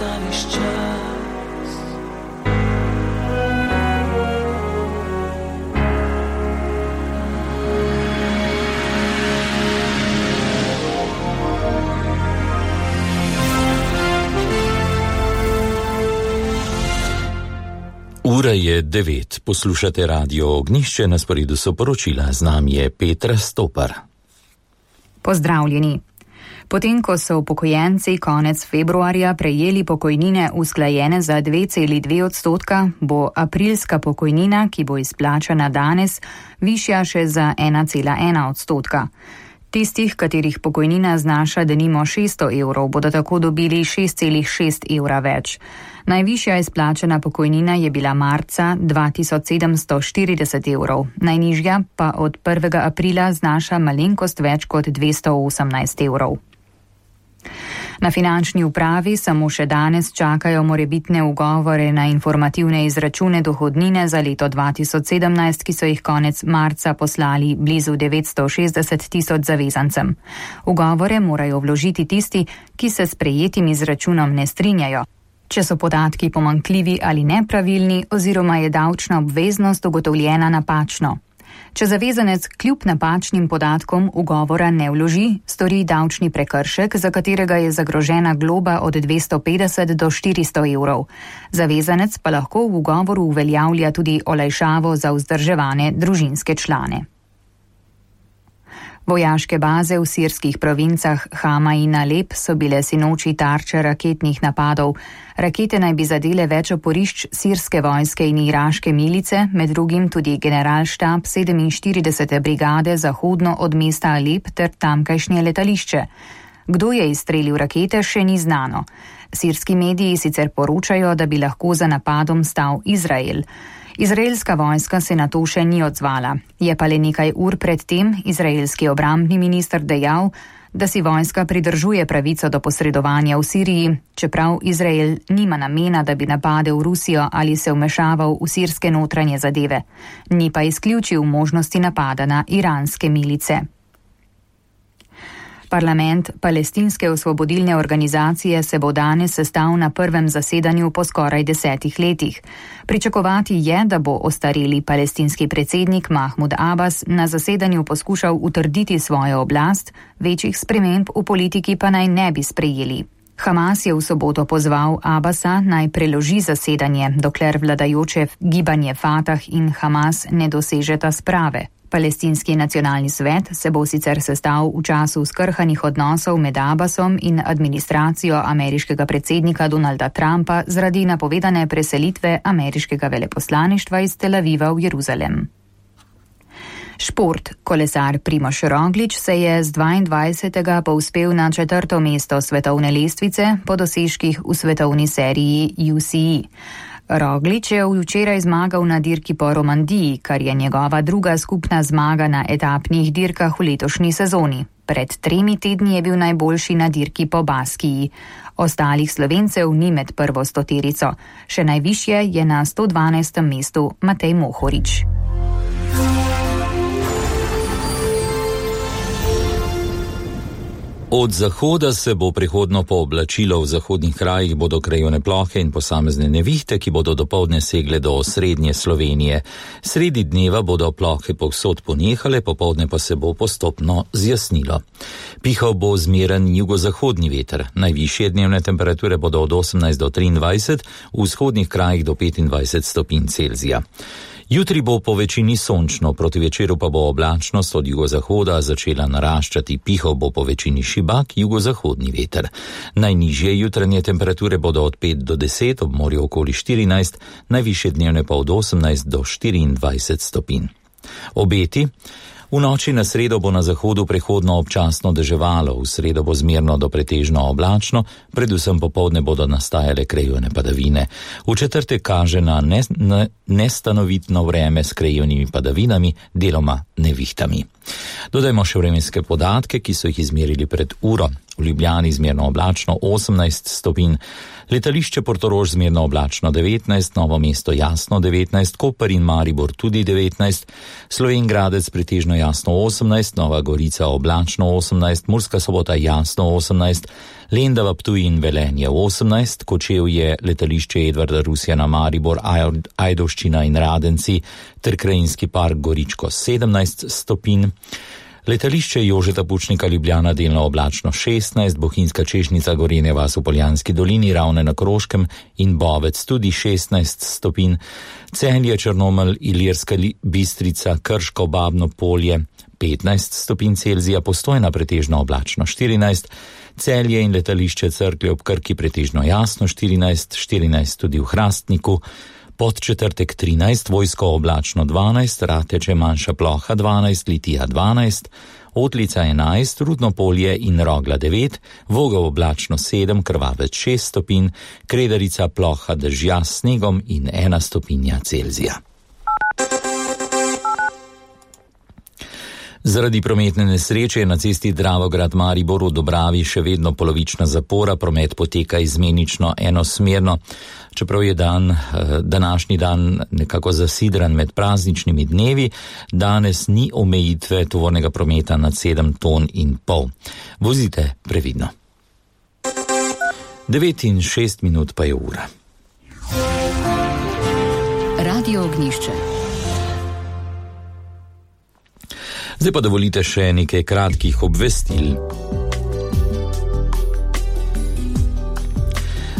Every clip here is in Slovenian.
ustaviš čas. Ura je 9, poslušate Radio Ognjišče, na sporedu so poročila, z nami je Petra Stopar. Pozdravljeni. Potem, ko so upokojenci konec februarja prejeli pokojnine usklajene za 2,2%, bo aprilska pokojnina, ki bo izplačana danes, višja še za 1,1%. Tistih, katerih pokojnina znaša denimo 600 evrov, bodo tako dobili 6,6 evra več. Najvišja izplačana pokojnina je bila marca 2740 evrov, najnižja pa od 1. aprila znaša malenkost več kot 218 evrov. Na finančni upravi samo še danes čakajo morebitne ugovore na informativne izračune dohodnine za leto 2017, ki so jih konec marca poslali blizu 960 tisoč zavezancem. Ugovore morajo vložiti tisti, ki se s prejetim izračunom ne strinjajo. Če so podatki pomanjkljivi ali nepravilni oziroma je davčna obveznost ugotovljena napačno. Če zavezanec kljub napačnim podatkom ugovora ne vloži, stori davčni prekršek, za katerega je zagrožena globa od 250 do 400 evrov. Zavezanec pa lahko v ugovoru uveljavlja tudi olajšavo za vzdrževane družinske člane. Vojaške baze v sirskih provincah Hama in Alep so bile sinoči tarče raketnih napadov. Rakete naj bi zadele več oporišč sirske vojske in iraške milice, med drugim tudi generalštab 47. brigade zahodno od mesta Alep ter tamkajšnje letališče. Kdo je izstrelil rakete, še ni znano. Sirski mediji sicer poročajo, da bi lahko za napadom stal Izrael. Izraelska vojska se na to še ni odzvala. Je pa le nekaj ur pred tem izraelski obrambni minister dejal, da si vojska pridržuje pravico do posredovanja v Siriji, čeprav Izrael nima namena, da bi napadel Rusijo ali se vmešaval v sirske notranje zadeve. Ni pa izključil možnosti napada na iranske milice. Parlament Palestinske osvobodilne organizacije se bo danes sestal na prvem zasedanju po skoraj 10 letih. Pričakovati je, da bo ostareli palestinski predsednik Mahmud Abbas na zasedanju poskušal utrditi svojo oblast, večjih sprememb v politiki pa naj ne bi sprejeli. Hamas je v soboto pozval Abbasa naj preloži zasedanje, dokler vladajoče gibanje Fatah in Hamas ne dosežeta sprave. Palestinski nacionalni svet se bo sicer sestal v času skrhanih odnosov med Abbasom in administracijo ameriškega predsednika Donalda Trumpa zaradi napovedane preselitve ameriškega veleposlaništva iz Tel Aviva v Jeruzalem. Šport. Kolesar Primož Roglič se je z 22. povzpel na 4. mesto svetovne lestvice po dosežkih v svetovni seriji UCI. Roglič je včeraj zmagal na dirki po Romandiji, kar je njegova druga skupna zmaga na etapnih dirkah v letošnji sezoni. Pred 3 tedni je bil najboljši na dirki po Baskiji. Ostalih Slovencev ni med prvo stoterico. Še najvišje je na 112. mestu Matej Mohorič. Od zahoda se bo prihodno pooblačilo, v zahodnih krajih bodo krajevne plohe in posamezne nevihte, ki bodo dopoldne segle do osrednje Slovenije. Sredi dneva bodo plohe povsod ponehale, popoldne pa se bo postopno zjasnilo. Pihal bo zmeren jugozahodni veter. Najvišje dnevne temperature bodo od 18 do 23, v vzhodnih krajih do 25 stopinj Celzija. Jutri bo po večini sončno, proti večeru pa bo oblačnost od jugozahoda začela naraščati, pihal bo po večini šibak jugozahodni veter. Najnižje jutranje temperature bodo od 5 do 10, ob morju okoli 14, najvišje dnevne pa od 18 do 24 stopinj. Obeti. V noči na sredo bo na zahodu prehodno občasno deževalo, v sredo bo zmerno do pretežno oblačno, predvsem popoldne bodo nastajale krajevne padavine. V četrtek kaže na nestanovitno vreme s krajevnimi padavinami, deloma nevihtami. Dodajmo še vremenske podatke, ki so jih izmerili pred uro. v Ljubljani zmerno oblačno 18 stopinj, letališče Portorož zmerno oblačno 19, Novo mesto jasno 19, Koper in Maribor tudi 19, Slovenj Gradec pretežno jasno 18, Nova Gorica oblačno 18, Murska Sobota jasno 18, Lendava, Ptuj in Velenje 18, Kočevje, letališče Edvarda Rusjana, Maribor, Ajdovščina in Radenci ter Krajinski park Goričko 17 stopinj, letališče Jožeta Pučnika Ljubljana delno oblačno 16, Bohinjska Češnjica, Gorenja vas v Poljanski dolini, Ravne na Koroškem in Bovec tudi 16 stopinj, Celje, Črnomelj, Ilirska Bistrica, Krško, Babno Polje 15 stopinj Celzija, Postojna pretežno oblačno 14, Celje in letališče Cerklje ob Krki pretežno jasno 14 tudi v Hrastniku, Podčetrtek 13, Vojsko oblačno 12, Rateče manjša ploha 12, Litija 12, Otlica 11, Rudno Polje in Rogla 9, Vogel oblačno 7, Krvavec 6 stopinj, Kredarica ploha dežja s snegom in 1 stopinja Celzija. Zaradi prometne nesreče je na cesti Dravograd-Maribor v Dobravi še vedno polovična zapora, promet poteka izmenično enosmerno. Čeprav je današnji dan nekako zasidran med prazničnimi dnevi, danes ni omejitve tovornega prometa nad 7,5 ton. Vozite previdno. 9:06 pa je ura. Radio Ognjišče. Zdaj pa dovolite še nekaj kratkih obvestil.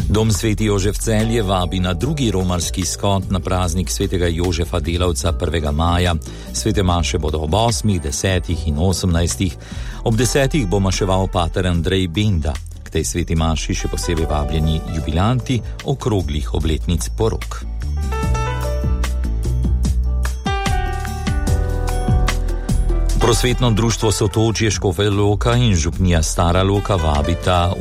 Dom Sveti Jožef Celje vabi na drugi romarski shod na praznik svetega Jožefa Delavca 1. maja. Svete maše bodo ob 8, 10 in 18. Ob 10 bo maševal pater Andrej Benda. K tej sveti maši še posebej vabljeni jubilanti okroglih obletnic porok. Prosvetno društvo Sotočje Škofja Loka in župnija Stara Loka vabita